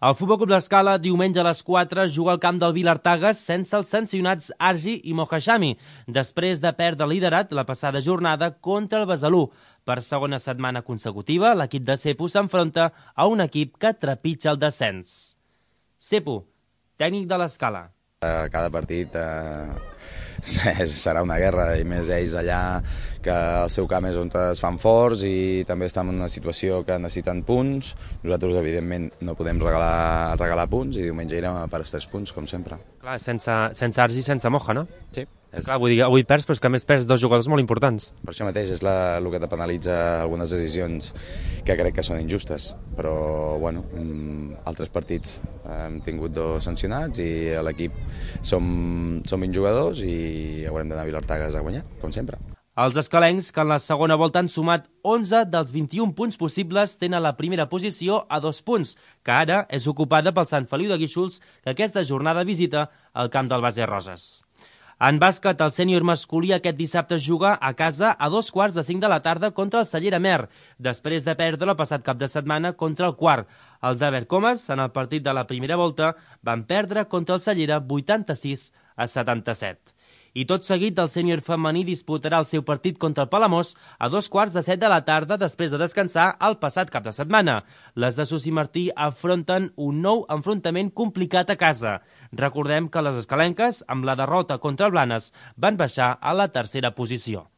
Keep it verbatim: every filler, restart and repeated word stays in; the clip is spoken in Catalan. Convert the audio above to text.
El Futbol Club l'Escala, diumenge a les quatre, juga al camp del Vilartagas sense els sancionats Argi i Mohashami, després de perdre el liderat la passada jornada contra el Besalú. Per segona setmana consecutiva, l'equip de Cepo s'enfronta a un equip que trepitja el descens. Cepo, tècnic de l'Escala. Cada partit eh, serà una guerra, i més ells allà, que el seu camp és on es fan forts i també estan en una situació que necessiten punts. Nosaltres, evidentment, no podem regalar, regalar punts i diumenge irem per als tres punts, com sempre. Clar, sense, sense Argi i sense Moja, no? Sí. És... Clar, vull dir, avui perds, però és que a més perds dos jugadors molt importants. Per això mateix és la, el que te penalitza algunes decisions que crec que són injustes, però bueno, altres partits hem tingut dos sancionats i a l'equip som, som vint jugadors i haurem d'anar a Vilartagas a guanyar, com sempre. Els escalencs, que en la segona volta han sumat onze dels vint-i-un punts possibles, tenen la primera posició a dos punts, que ara és ocupada pel Sant Feliu de Guíxols, que aquesta jornada visita el camp del Base Roses. En bàsquet, el sènior masculí aquest dissabte juga a casa a dos quarts de cinc de la tarda contra el Cellera Mer, després de perdre el passat cap de setmana contra el Quart. Els de Vercomes, en el partit de la primera volta, van perdre contra el Cellera vuitanta-sis a setanta-set. I tot seguit, el sènior femení disputarà el seu partit contra el Palamós a dos quarts de set de la tarda després de descansar el passat cap de setmana. Les de Susi Martí afronten un nou enfrontament complicat a casa. Recordem que les escalenques, amb la derrota contra el Blanes, van baixar a la tercera posició.